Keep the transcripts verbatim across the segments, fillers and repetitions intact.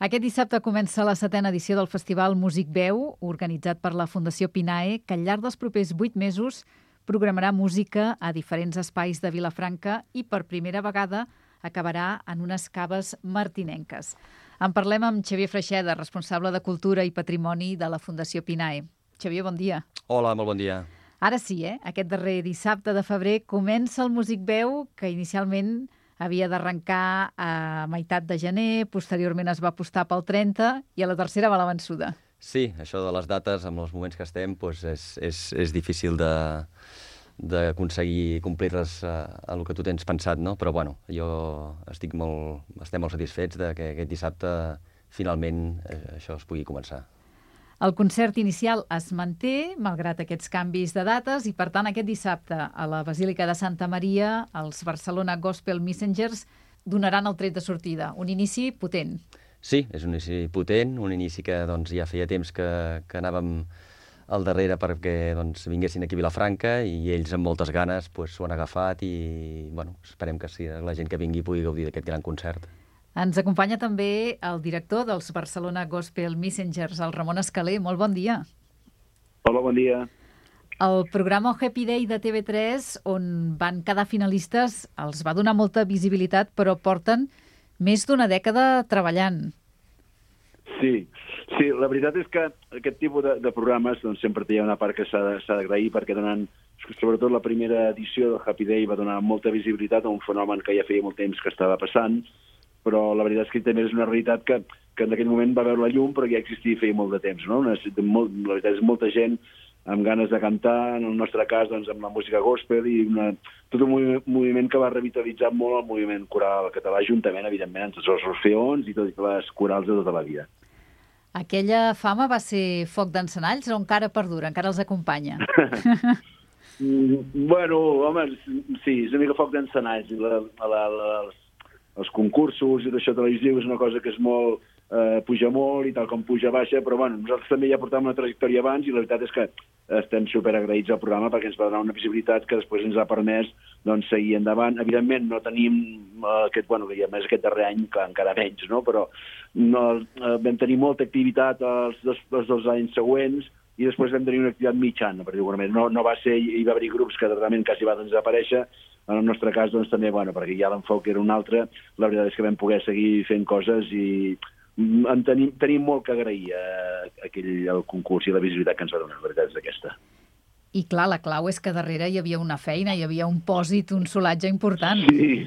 Aquest dissabte comença la setena edició del Festival Músic Veu, organitzat per la Fundació Pinae, que al llarg dels propers vuit mesos programarà música a diferents espais de Vilafranca i per primera vegada acabarà en unes caves martinenques. En parlem amb Xavier Freixeda, responsable de Cultura i Patrimoni de la Fundació Pinae. Xavier, bon dia. Hola, molt bon dia. Ara sí, eh? Aquest darrer dissabte de febrer comença el Músic Veu, que inicialment havia d'arrencar a meitat de gener, posteriorment es va apostar pel trenta i a la tercera va la vençuda. Sí, això de les dates, amb els moments que estem, doncs és, és, és difícil de d'aconseguir complir-les a, a el que tu tens pensat, no? Però, bueno, jo estic molt, estem molt satisfets de que aquest dissabte finalment eh, això es pugui començar. El concert inicial es manté, malgrat aquests canvis de dates, i per tant aquest dissabte a la Basílica de Santa Maria els Barcelona Gospel Messengers donaran el tret de sortida. Un inici potent. Sí, és un inici potent, un inici que doncs, ja feia temps que, que anàvem al darrere perquè doncs, vinguessin aquí a Vilafranca i ells amb moltes ganes s'ho doncs, han agafat i bueno, esperem que sí, la gent que vingui pugui gaudir d'aquest gran concert. Ens acompanya també el director dels Barcelona Gospel Messengers, el Ramon Escalé. Molt bon dia. Hola, bon dia. El programa Happy Day de T V tres, on van quedar finalistes, els va donar molta visibilitat, però porten més d'una dècada treballant. Sí, sí, la veritat és que aquest tipus de, de programes doncs, sempre té una part que s'ha d'agrair perquè donen, sobretot la primera edició del Happy Day va donar molta visibilitat a un fenomen que ja feia molt temps que estava passant, però la veritat és que també és una realitat que, que en aquell moment va veure la llum, però ja existia feia molt de temps, no? Una, molt, la veritat és molta gent amb ganes de cantar, en el nostre cas doncs, amb la música gospel, i una, tot un moviment, moviment que va revitalitzar molt el moviment coral català, juntament, evidentment, amb tots els orfeons i totes les corals de tota la vida. Aquella fama va ser foc d'encenalls o encara perdura, encara els acompanya? Bueno, home, sí, és una mica foc d'encenalls. La, la, la, els concursos i d'això televisiu és una cosa que és molt, eh, puja molt i tal com puja baixa, però bueno, nosaltres també ja portàvem una trajectòria abans i la veritat és que estem superagraïts al programa perquè ens va donar una visibilitat que després ens ha permès doncs, seguir endavant. Evidentment no tenim eh, aquest, bueno, ja més aquest darrer any, que encara menys, no? Però no, eh, vam tenir molta activitat els dos, els dos anys següents i després vam tenir una activitat mitjana, per dir-ho no, no va ser, hi va haver grups que realment quasi van desaparèixer. En el nostre cas, doncs, també, bueno, perquè ja l'enfoc era un altre, la veritat és que vam poder seguir fent coses i en tenim, tenim molt que agrair a aquell el concurs i la visibilitat que ens va donar, la veritat és aquesta. I clar, la clau és que darrere hi havia una feina, hi havia un pòsit, un solatge important. Sí,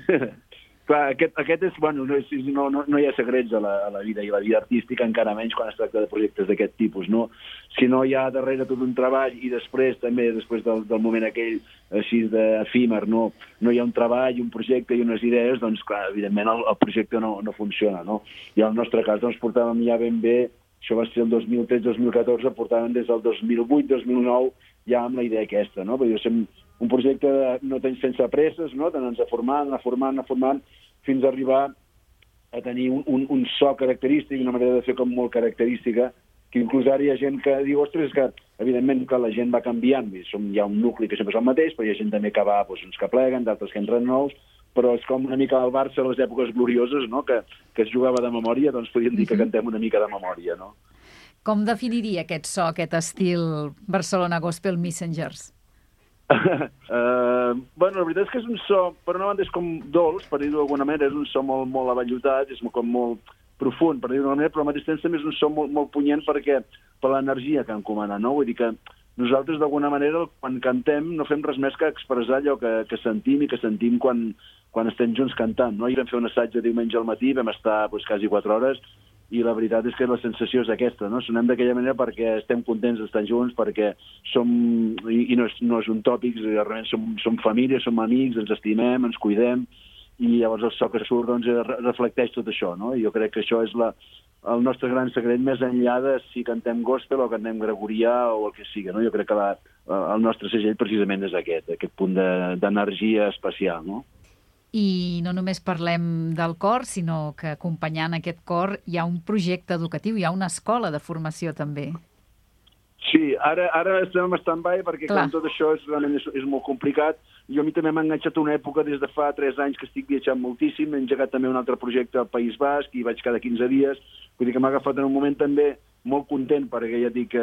clar, aquest, aquest és, bueno, no, no, no, no hi ha secrets a la, a la vida, i la vida artística encara menys quan es tracta de projectes d'aquest tipus, no? Si no hi ha darrere tot un treball i després també, després del, del moment aquell així d'efímer, no? No hi ha un treball, un projecte i unes idees, doncs clar, evidentment el, el projecte no, no funciona, no? I en el nostre cas doncs portàvem ja ben bé, això va ser el dos mil tretze dos mil catorze, portàvem des del dos mil vuit dos mil nou ja amb la idea aquesta, no? Perquè som un projecte de, no tens sense presses, no? D'anar-nos formant, anar formant, anar formant, fins a arribar a tenir un, un, un so característic, una manera de fer com molt característica, que inclús ara hi ha gent que diu, ostres, és que evidentment que la gent va canviant, som, hi ha un nucli que sempre és el mateix, però hi ha gent també que va, doncs, uns que pleguen, d'altres que entren nous, però és com una mica el Barça a les èpoques glorioses, no? que, que es jugava de memòria, doncs podríem dir que cantem una mica de memòria, no? Com definiria aquest so, aquest estil Barcelona Gospel Messengers? uh, bueno, la veritat és que és un so, per una banda és com dolç, per dir-ho d'alguna manera, és un so molt, molt avallotat, és com molt profund, per dir-ho d'alguna manera, però al mateix temps també és un so molt, molt punyent perquè per l'energia que encomana, no? Vull dir que nosaltres d'alguna manera quan cantem no fem res més que expressar allò que, que sentim i que sentim quan, quan estem junts cantant, no? I vam fer un assaig de diumenge al matí, vam estar doncs, quasi quatre hores, i la veritat és que la sensació és aquesta, no? Sonem d'aquella manera perquè estem contents d'estar junts, perquè som, i, i no, és, no és un tòpic, realment som, som família, som amics, ens estimem, ens cuidem, i llavors el so que surt doncs, reflecteix tot això, no? I jo crec que això és la, el nostre gran secret, més enllà de si cantem gospel o cantem gregorià o el que sigui, no? Jo crec que la, el nostre segell precisament és aquest, aquest punt d'energia de, especial, no? I no només parlem del cor, sinó que acompanyant aquest cor hi ha un projecte educatiu, hi ha una escola de formació també. Sí, ara, ara estem en stand-by perquè clar, tot això és, realment és, és molt complicat. Jo a mi també m'ha enganxat una època des de fa tres anys que estic viatjant moltíssim, he engegat també un altre projecte al País Basc i vaig cada quinze dies, Vull dir que m'ha agafat en un moment també molt content, perquè ja et dic que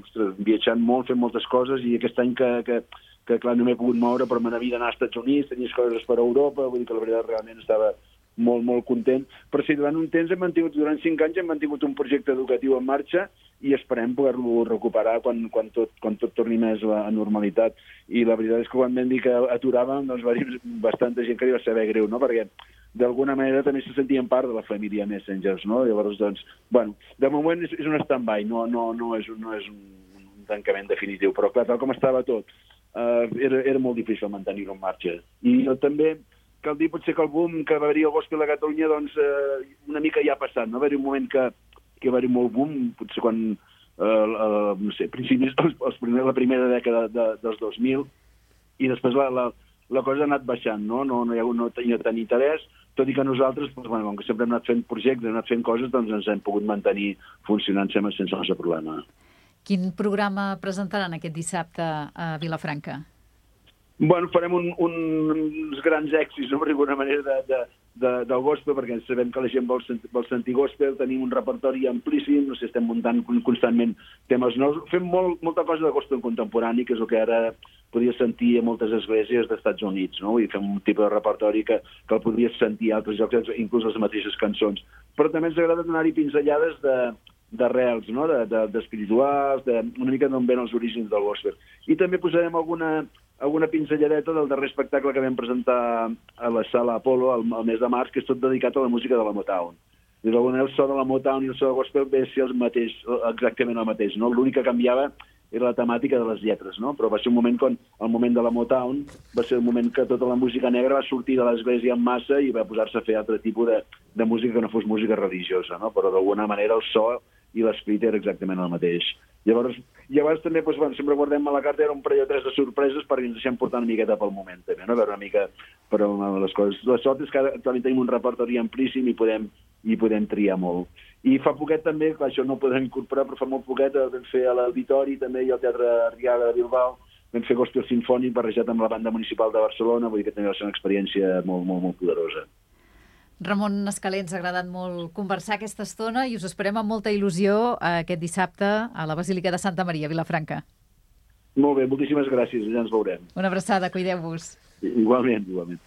ostres, viatjant molt, fent moltes coses, i aquest any que, que, que clar, no m'he pogut moure, però me n'havia d'anar als Estats Units, tenies coses per a Europa, vull dir que la veritat realment estava molt, molt content. Però sí, durant un temps hem mantingut, durant cinc anys hem mantingut un projecte educatiu en marxa i esperem poder-lo recuperar quan, quan, tot, quan tot torni més a la normalitat. I la veritat és que quan vam dir que aturàvem, doncs va dir bastanta gent que li va saber greu, no? Perquè d'alguna manera també se sentien part de la família Messengers, no? Llavors, doncs, bueno, de moment és, és un stand-by, no, no, no, és, no és un, un tancament definitiu, però clar, tal com estava tot, eh, era, era molt difícil mantenir-ho en marxa. I jo també cal dir potser que el boom que va haver-hi al gospel a Catalunya, doncs, eh, una mica ja ha passat, no? Va haver-hi un moment que, que va haver-hi molt boom, potser quan, eh, eh, no sé, principis, els, els primer, la primera dècada de, dels dos mil, i després la, la, la cosa ha anat baixant, no? No, no hi ha hagut no tenia tant interès, tot i que nosaltres, doncs, bueno, com que sempre hem anat fent projectes, hem anat fent coses, doncs ens hem pogut mantenir funcionant sempre sense massa problema. Quin programa presentaran aquest dissabte a Vilafranca? Bueno, farem un, un, uns grans èxits, no, d'alguna manera, de, de, de, del gospel, perquè sabem que la gent vol, sent, vol sentir gospel, tenim un repertori amplíssim, no sé, estem muntant constantment temes nous, fem molt, molta cosa de gospel contemporani, que és el que ara podries sentir a moltes esglésies dels Estats Units, no? I fem un tipus de repertori que, que el podries sentir a altres llocs, inclús les mateixes cançons. Però també ens agrada donar-hi pinzellades de, d'arrels, no? de, de, d'espirituals, de, una mica d'on ven els orígens del gospel. I també posarem alguna, alguna pinzelladeta del darrer espectacle que vam presentar a la sala Apollo al, al mes de març, que és tot dedicat a la música de la Motown. I d'alguna manera el so de la Motown i el so del gospel ve a ser el mateix, exactament el mateix, no? L'únic que canviava era la temàtica de les lletres, no? Però va ser un moment quan el moment de la Motown va ser el moment que tota la música negra va sortir de l'església en massa i va posar-se a fer altre tipus de, de música que no fos música religiosa, no? Però d'alguna manera el so i l'esperit era exactament el mateix. Llavors, llavors també, doncs, bueno, sempre guardem a la carta, era un parell o tres de sorpreses perquè ens deixem portar una miqueta pel moment, també, no? A veure una mica per les coses. La sort és que actualment tenim un repertori amplíssim i podem, i podem triar molt. I fa poquet també, clar, això no ho podem incorporar, però fa molt poquet vam fer a l'Auditori també i al Teatre Arriaga de Bilbao, vam fer gospel sinfònic barrejat amb la banda municipal de Barcelona, vull dir que també va ser una experiència molt, molt, molt poderosa. Ramon Escaler, ens ha agradat molt conversar aquesta estona i us esperem amb molta il·lusió aquest dissabte a la Basílica de Santa Maria, Vilafranca. Molt bé, moltíssimes gràcies, ja ens veurem. Una abraçada, cuideu-vos. Igualment, igualment.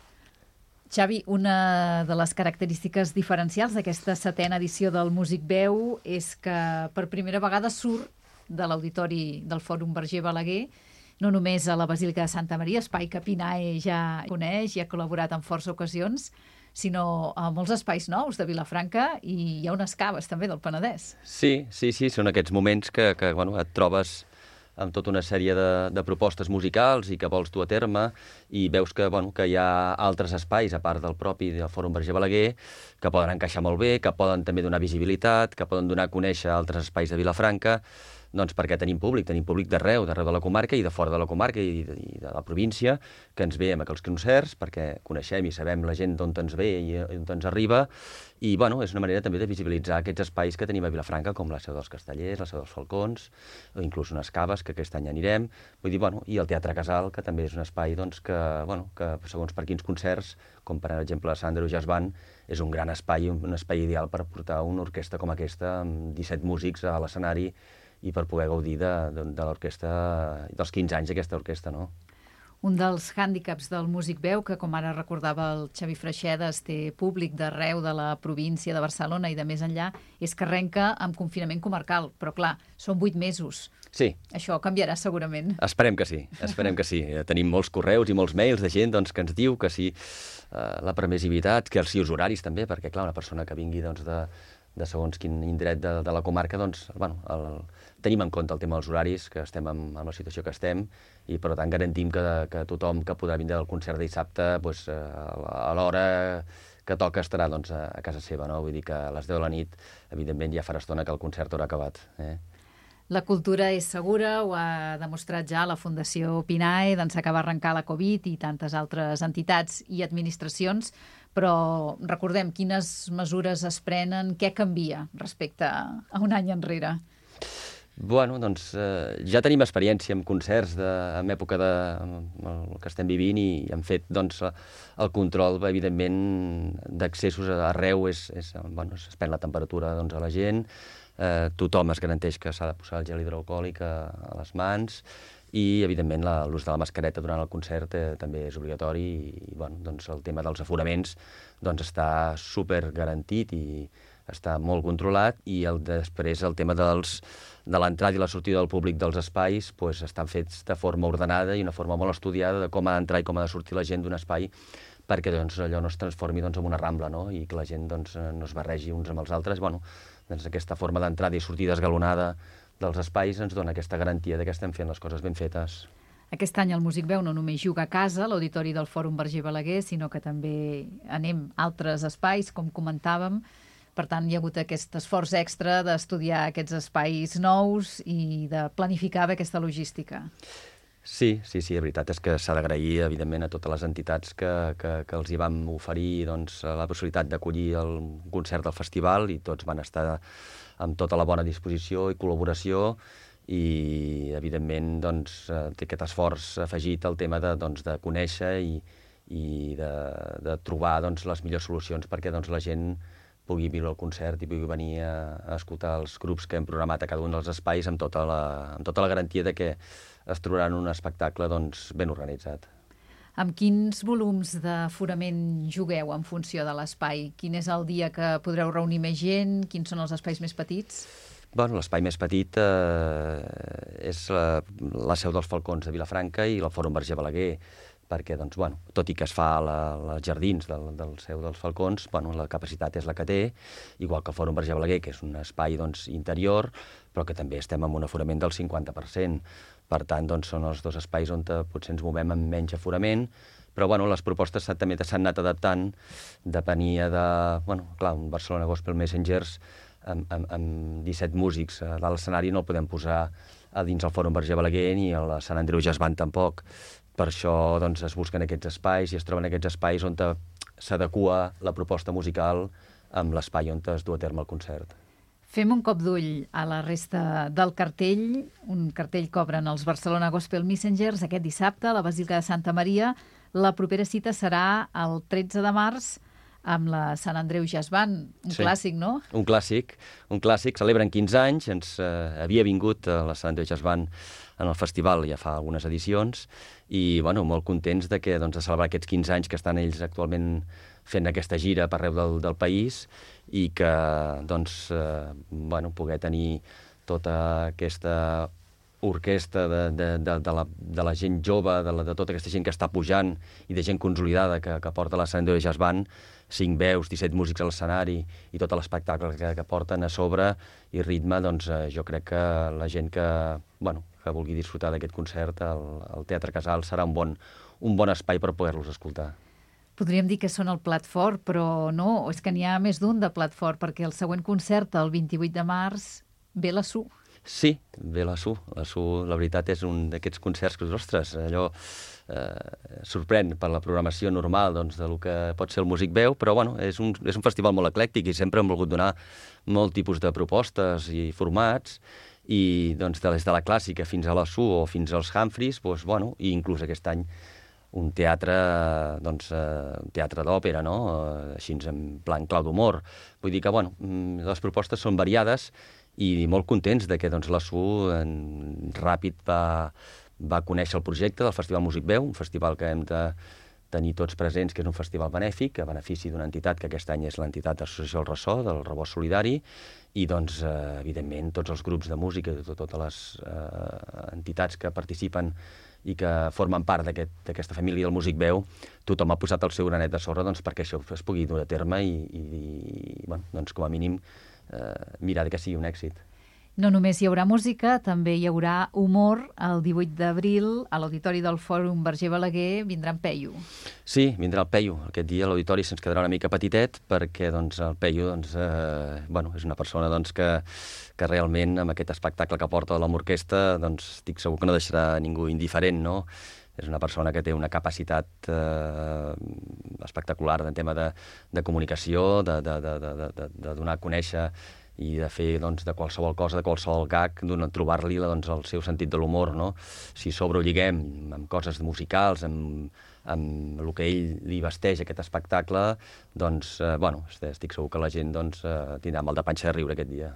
Xavi, una de les característiques diferencials d'aquesta setena edició del Músic Veu és que per primera vegada surt de l'auditori del Fòrum Verger Balaguer, no només a la Basílica de Santa Maria, espai que Pinae ja coneix i ha col·laborat en força ocasions, sinó a molts espais nous de Vilafranca i hi ha unes caves també del Penedès. Sí, sí, sí, són aquests moments que, que bueno, et trobes amb tota una sèrie de, de propostes musicals i que vols dur a terme i veus que, bueno, que hi ha altres espais, a part del propi del Fòrum Verger Balaguer, que poden encaixar molt bé, que poden també donar visibilitat, que poden donar a conèixer altres espais de Vilafranca, doncs perquè tenim públic, tenim públic d'arreu, d'arreu de la comarca i de fora de la comarca i de, i de la província, que ens ve amb aquells concerts, perquè coneixem i sabem la gent d'on ens ve i d'on ens arriba, i bueno, és una manera també de visibilitzar aquests espais que tenim a Vilafranca, com la Seu dels Castellers, la Seu dels Falcons, o inclús unes caves, que aquest any anirem, vull dir, bueno, i el Teatre Casal, que també és un espai doncs, que, bueno, que segons per quins concerts, com per exemple Sandro Jazz Band, és un gran espai, un espai ideal per portar una orquestra com aquesta, amb disset músics a l'escenari, i per poder gaudir de, de, de l'orquestra, dels quinze anys d'aquesta orquestra, no? Un dels hàndicaps del Músic Veu, que com ara recordava el Xavi Freixedes, té públic d'arreu de la província de Barcelona i de més enllà, és que arrenca amb confinament comarcal, però clar, són vuit mesos. Sí. Això canviarà segurament. Esperem que sí, esperem que sí. Tenim molts correus i molts mails de gent doncs, que ens diu que sí, eh, la permissivitat, que sí, els horaris també, perquè clar, una persona que vingui doncs, de, de segons quin indret de, de la comarca, doncs, bueno, el, tenim en compte el tema dels horaris, que estem en, en la situació que estem, i per tant garantim que, que tothom que podrà vindre al concert de dissabte doncs, a l'hora que toca estarà doncs, a casa seva, no? Vull dir que a les deu de la nit, evidentment, ja farà estona que el concert haurà acabat. Eh? La cultura és segura, ho ha demostrat ja la Fundació Pinae, d'ençà que va arrencar la Covid i tantes altres entitats i administracions, però recordem quines mesures es prenen, què canvia respecte a un any enrere? Bueno, doncs eh, ja tenim experiència amb concerts de, en època de el que estem vivint i hem fet, doncs, el control, evidentment, d'accessos arreu és, és, bueno, es pren la temperatura, doncs, a la gent, eh, tothom es garanteix que s'ha de posar el gel hidroalcohòlic a, a les mans i, evidentment, l'ús de la mascareta durant el concert eh, també és obligatori i, bueno, doncs, el tema dels aforaments doncs, està super garantit i està molt controlat i el, després el tema dels, de l'entrada i la sortida del públic dels espais pues, estan fets de forma ordenada i una forma molt estudiada de com ha d'entrar i com ha de sortir la gent d'un espai perquè doncs, allò no es transformi doncs, en una rambla, no? I que la gent doncs, no es barregi uns amb els altres. Bueno, doncs, aquesta forma d'entrada i sortida esgalonada dels espais ens dona aquesta garantia de que estem fent les coses ben fetes. Aquest any el Músic Veu no només juga a casa, a l'Auditori del Fòrum Verger Balaguer, sinó que també anem a altres espais, com comentàvem. Per tant, hi ha hagut aquest esforç extra d'estudiar aquests espais nous i de planificar bé aquesta logística. Sí, sí, sí, la veritat és que s'ha d'agrair, evidentment, a totes les entitats que, que, que els hi vam oferir doncs, la possibilitat d'acollir el concert del festival i tots van estar amb tota la bona disposició i col·laboració i, evidentment, doncs, té aquest esforç afegit al tema de, doncs, de conèixer i, i de, de trobar doncs, les millors solucions perquè doncs, la gent pugui viure el concert i pugui venir a, a escoltar els grups que hem programat a cada un dels espais amb tota la, amb tota la garantia de que es trobaran un espectacle doncs, ben organitzat. Amb quins volums d'aforament jugueu en funció de l'espai? Quin és el dia que podreu reunir més gent? Quins són els espais més petits? Bueno, l'espai més petit eh, és la, la seu dels Falcons de Vilafranca i el Fòrum Verger Balaguer, perquè, doncs, bueno, tot i que es fa als jardins del, del seu dels Falcons, bueno, la capacitat és la que té, igual que el Fòrum Verger Balaguer, que és un espai doncs, interior, però que també estem amb un aforament del cinquanta per cent. Per tant, doncs, són els dos espais on potser ens movem amb menys aforament, però bueno, les propostes també s'han anat adaptant, depenia de... Bueno, clar, un Barcelona Gospel Messengers amb, amb, amb disset músics a dalt l'escenari no el podem posar a dins el Fòrum Verger Balaguer ni a la Sant Andreu Jazz Band tampoc. Per això doncs, es busquen aquests espais i es troben aquests espais on s'adequa la proposta musical amb l'espai on es du a terme el concert. Fem un cop d'ull a la resta del cartell. Un cartell que obren els Barcelona Gospel Messengers aquest dissabte a la Basílica de Santa Maria. La propera cita serà el tretze de març amb la Sant Andreu Jazz Band. Un sí. Clàssic, no? Un clàssic. Un clàssic. Celebren quinze anys. Ens eh, havia vingut a la Sant Andreu Jazz Band en el festival ja fa algunes edicions i bueno, molt contents de, que, doncs, de celebrar aquests quinze anys que estan ells actualment fent aquesta gira per arreu del, del país i que doncs, eh, bueno, poder tenir tota aquesta orquestra de, de, de, de, la, de la gent jove, de, la, de tota aquesta gent que està pujant i de gent consolidada que, que porta la Sant Andreu Jazz Band, cinc veus, disset músics a l'escenari i tot l'espectacle que, que porten a sobre i ritme, doncs eh, jo crec que la gent que, bueno, que vulgui disfrutar d'aquest concert, el, el Teatre Casal serà un bon, un bon espai per poder-los escoltar. Podríem dir que són el plat fort, però no, és que n'hi ha més d'un de plat fort, perquè el següent concert, el vint-i-vuit de març, ve la S U. Sí, ve la S U. La S U, la veritat, és un d'aquests concerts que, ostres, allò eh, sorprèn per la programació normal doncs, del que pot ser el Músic Veu, però bueno, és un, és un festival molt eclèctic i sempre hem volgut donar molt tipus de propostes i formats, i doncs, des de la clàssica fins a la S U o fins als Humphreys, doncs, bueno, i inclús aquest any un teatre, doncs, eh, un teatre d'òpera, no? Eh, així en plan clau d'humor. Vull dir que, bueno, les propostes són variades i molt contents de que doncs, la S U en, ràpid va, va conèixer el projecte del Festival Músic Veu, un festival que hem de tenir tots presents, que és un festival benèfic, a benefici d'una entitat que aquest any és l'entitat Associació El Ressò, del Rebost Solidari, i doncs, eh, evidentment, tots els grups de música, totes les eh, entitats que participen i que formen part d'aquesta aquest, família del Músic Veu, tothom ha posat el seu granet de sorra doncs, perquè això es pugui dur a terme i, i, i bueno, doncs, com a mínim, eh, mirar que sigui un èxit. No només hi haurà música, també hi haurà humor. El divuit d'abril, a l'Auditori del Fòrum Verger Balaguer, vindrà en Peyu. Sí, vindrà el Peyu. Aquest dia l'auditori se'ns quedarà una mica petitet perquè doncs, el Peyu doncs, eh, bueno, és una persona doncs, que, que realment amb aquest espectacle que porta amb l'orquestra doncs, estic segur que no deixarà ningú indiferent, no? És una persona que té una capacitat eh, espectacular en tema de, de comunicació, de, de, de, de, de, de donar a conèixer i de fer doncs, de qualsevol cosa, de qualsevol gag, trobar-li doncs, el seu sentit de l'humor, no? Si sobre ho lliguem amb coses musicals, amb, amb el que ell li vesteix aquest espectacle, doncs, eh, bueno, estic segur que la gent doncs, eh, tindrà mal de panxa de riure aquest dia.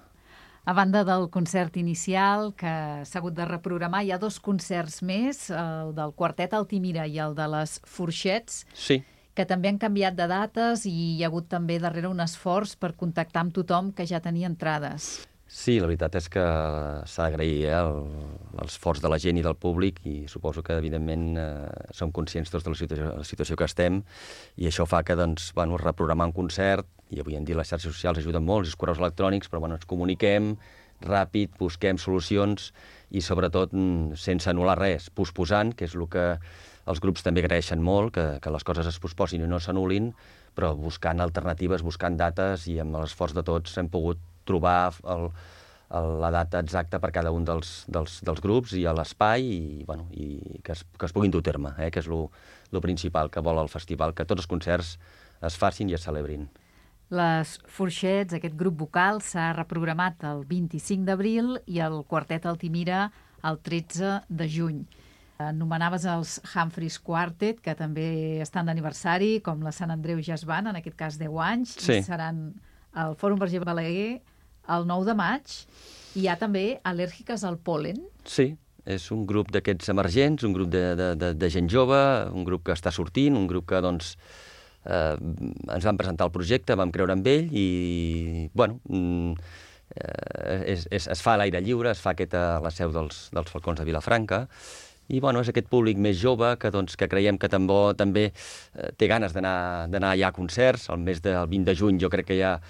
A banda del concert inicial, que s'ha hagut de reprogramar, hi ha dos concerts més, el del Quartet Altimira i el de les Forxets, sí. que també han canviat de dates i hi ha hagut també darrere un esforç per contactar amb tothom que ja tenia entrades. Sí, la veritat és que s'ha d'agrair eh, l'esforç de la gent i del públic i suposo que, evidentment, eh, som conscients tots de la situació, la situació que estem i això fa que, doncs, bueno, reprogramar un concert, i avui en dia les xarxes socials ajuden molt, els correus electrònics, però bueno, ens comuniquem ràpid, busquem solucions i, sobretot, sense anul·lar res, posposant, que és el que els grups també agraeixen molt, que, que les coses es posposin i no s'anul·lin, però buscant alternatives, buscant dates, i amb l'esforç de tots hem pogut trobar el, el, la data exacta per cada un dels, dels, dels grups i a l'espai, i, bueno, i que, es, que es puguin dur terme, eh, que és el principal que vol el festival, que tots els concerts es facin i es celebrin. Les Forxets, aquest grup vocal, s'ha reprogramat el vint-i-cinc d'abril i el Quartet Altimira el tretze de juny. Anomenaves els Humphreys Quartet, que també estan d'aniversari, com la Sant Andreu Jazz Band, en aquest cas deu anys, sí. I seran al Fòrum Verger Balaguer el nou de maig. Hi ha també Al·lèrgiques al pol·len. Sí, és un grup d'aquests emergents, un grup de, de, de, de gent jove, un grup que està sortint, un grup que, doncs, eh, ens van presentar el projecte, vam creure en ell i, bueno, eh, és, és, es fa a l'aire lliure, es fa aquest a la seu dels, dels Falcons de Vilafranca. I bueno, és aquest públic més jove que, doncs, que creiem que també, també eh, té ganes d'anar allà a concerts. El mes del vint de juny jo crec que ja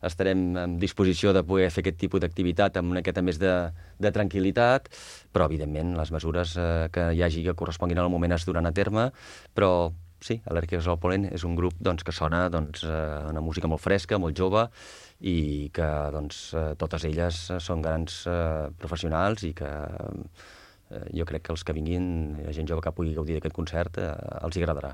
estarem en disposició de poder fer aquest tipus d'activitat amb una miqueta més de, de tranquil·litat, però evidentment les mesures eh, que hi hagi que corresponguin al moment es duran a terme, però sí, Al·lèrgiques al pol·len és un grup doncs, que sona doncs, una música molt fresca, molt jove, i que doncs, totes elles són grans eh, professionals i que jo crec que els que vinguin, la gent jove que pugui gaudir d'aquest concert, eh, els hi agradarà.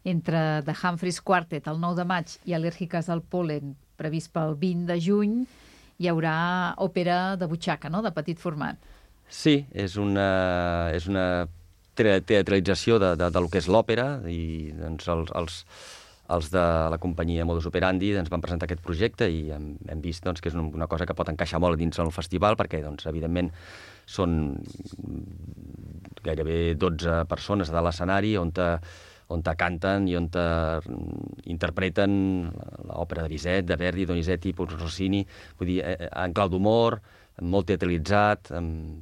Entre The Humphreys Quartet el nou de maig i Al·lèrgiques al pol·len previst pel vint de juny, hi haurà òpera de butxaca, no?, de petit format. Sí, és una, és una teatralització de, de, de lo que és l'òpera, i doncs, els, els, els de la companyia Modus Operandi ens van presentar aquest projecte i hem, hem vist doncs, que és una cosa que pot encaixar molt dins del festival, perquè, doncs, evidentment, són gairebé dotze persones a l'escenari on te, on te canten i on te interpreten l'òpera de Bizet, de Verdi, Donizetti, Rossini, vull dir, en clau d'humor, molt teatralitzat.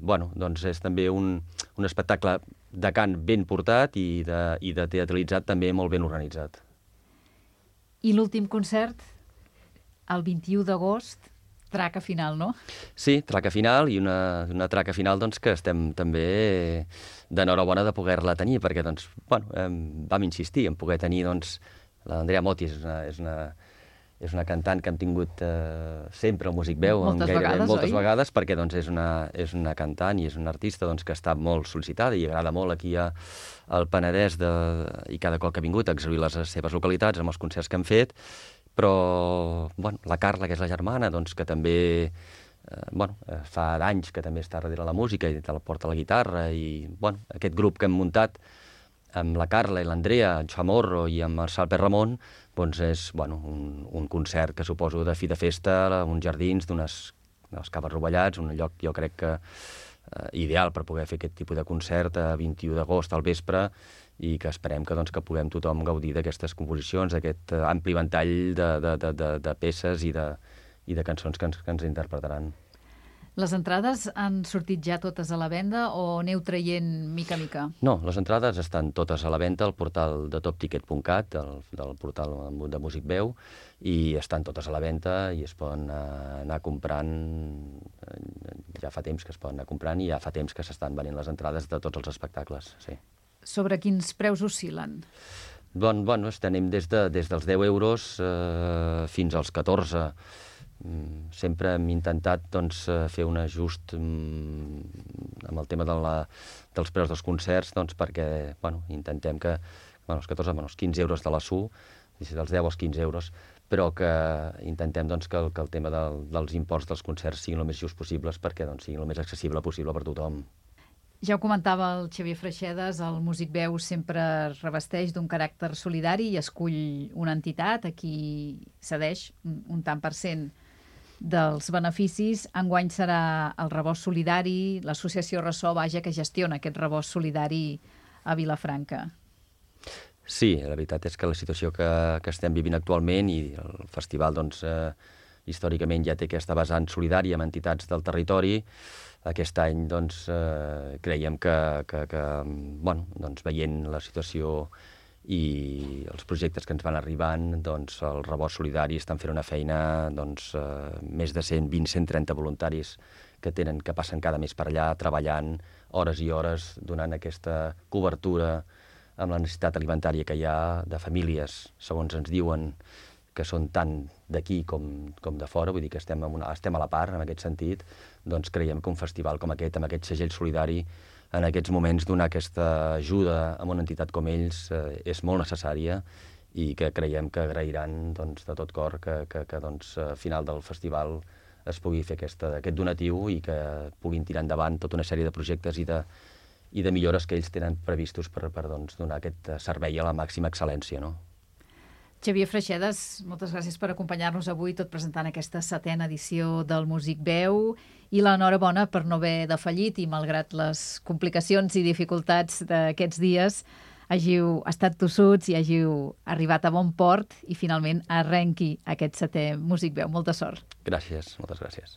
Bueno, doncs és també un, un espectacle de cant ben portat i de, i de teatralitzat també molt ben organitzat. I l'últim concert, el vint-i-u d'agost, traca final, no? Sí, traca final, i una, una traca final doncs, que estem també d'enhorabona de poder-la tenir, perquè doncs, bueno, eh, vam insistir en poder tenir doncs, l'Andrea Motti és una, és, una, és una cantant que hem tingut eh, sempre al Músic Veu, moltes, gairebé, vegades, moltes oi? vegades, perquè doncs, és, una, és una cantant i és una artista doncs, que està molt sol·licitada i agrada molt aquí a, al Penedès de, i cada cop que ha vingut a exhibir les seves localitats amb els concerts que han fet. Però bueno, la Carla, que és la germana, doncs, que també eh, bueno, fa d'anys que també està darrere la música i te la porta la guitarra, i bueno, aquest grup que hem muntat amb la Carla i l'Andrea, el Chamorro i amb el Salper Ramon, doncs és bueno, un, un concert que suposo de fi de festa, uns jardins d'unes caves rovellats, un lloc jo crec que eh, ideal per poder fer aquest tipus de concert a vint-i-u d'agost al vespre, i que esperem que, doncs, que puguem tothom gaudir d'aquestes composicions, d'aquest ampli ventall de, de, de, de, de peces i de, i de cançons que ens, que ens interpretaran. Les entrades han sortit ja totes a la venda o aneu traient mica a mica? No, les entrades estan totes a la venda al portal de topticket punt cat, del, del portal de Músic Veu, i estan totes a la venda i es poden anar comprant, ja fa temps que es poden anar comprant i ja fa temps que s'estan venent les entrades de tots els espectacles, sí. Sobre quins preus oscil·len? Bon, bueno, estem des, de, des dels deu euros eh, fins als catorze. Mm, sempre hem intentat doncs, fer un ajust mm, amb el tema de la, dels preus dels concerts, doncs, perquè bueno, intentem que bueno, els catorze, bueno, els quinze euros de la S U, dels deu als quinze euros, però que intentem doncs, que, el, que el tema del, dels imports dels concerts siguin el més just possibles perquè doncs, siguin el més accessible possible per tothom. Ja ho comentava el Xavier Freixedas, el Músic Veu sempre es revesteix d'un caràcter solidari i escull una entitat a qui cedeix un, un tant per cent dels beneficis. Enguany serà el Rebost Solidari, l'associació Ressò, vaja, que gestiona aquest rebost solidari a Vilafranca. Sí, la veritat és que la situació que, que estem vivint actualment i el festival, doncs, eh, històricament ja té aquesta vessant solidària amb entitats del territori. Aquest any, doncs, eh, creiem que, que, que bueno, doncs, veient la situació i els projectes que ens van arribant, doncs, el Rebost Solidari estan fent una feina, doncs, eh, més de cent vint a cent trenta voluntaris que tenen, que passen cada mes per allà, treballant hores i hores, donant aquesta cobertura amb la necessitat alimentària que hi ha de famílies, segons ens diuen, que són tant d'aquí com, com de fora, vull dir que estem, una, estem a la part en aquest sentit, doncs creiem que un festival com aquest, amb aquest segell solidari, en aquests moments donar aquesta ajuda a una entitat com ells eh, és molt necessària i que creiem que agrairan doncs, de tot cor que, que, que doncs, al final del festival es pugui fer aquesta, aquest donatiu i que puguin tirar endavant tota una sèrie de projectes i de, i de millores que ells tenen previstos per, per doncs, donar aquest servei a la màxima excel·lència, no? Xavier Freixedas, moltes gràcies per acompanyar-nos avui, tot presentant aquesta setena edició del Músic Veu, i l'enhorabona per no haver defallit i, malgrat les complicacions i dificultats d'aquests dies, hàgiu estat tossuts i hàgiu arribat a bon port i finalment arrenqui aquest setè Músic Veu. Molta sort. Gràcies, moltes gràcies.